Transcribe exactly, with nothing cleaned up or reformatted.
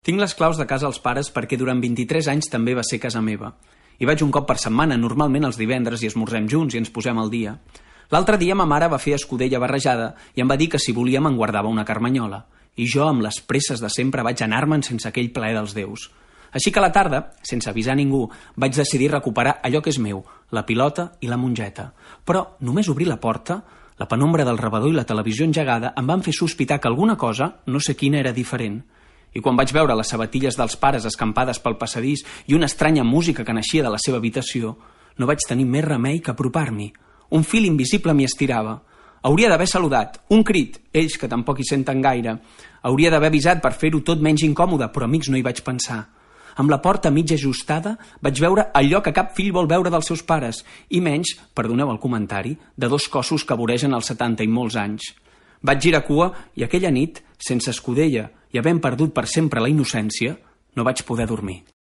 Tinc les claus de casa als pares perquè durant vint-i-tres anys també va ser casa meva. Hi vaig un cop per setmana, normalment els divendres, i esmorzem junts i ens posem al dia. L'altre dia ma mare va fer escudella barrejada i em va dir que si volia me'n guardava una carmanyola. I jo, amb les presses de sempre, vaig anar-me'n sense aquell plaer dels déus. Així que a la tarda, sense avisar ningú, vaig decidir recuperar allò que és meu, la pilota i la mongeta. Però només obrir la porta, la penombra del rebedor i la televisió engegada em van fer sospitar que alguna cosa, no sé quina, era diferent. I quan vaig veure les sabatilles dels pares escampades pel passadís i una estranya música que naixia de la seva habitació, no vaig tenir més remei que apropar-m'hi. Un fil invisible m'hi estirava. Hauria d'haver saludat, un crit, ells que tampoc hi senten gaire. Hauria d'haver avisat per fer-ho tot menys incòmode, però amics no hi vaig pensar. Amb la porta mig ajustada vaig veure allò que cap fill vol veure dels seus pares, i menys, perdoneu el comentari, de dos cossos que voregen els setanta i molts anys. Vaig girar cua i aquella nit, sense escudella i havent perdut per sempre la innocència, no vaig poder dormir.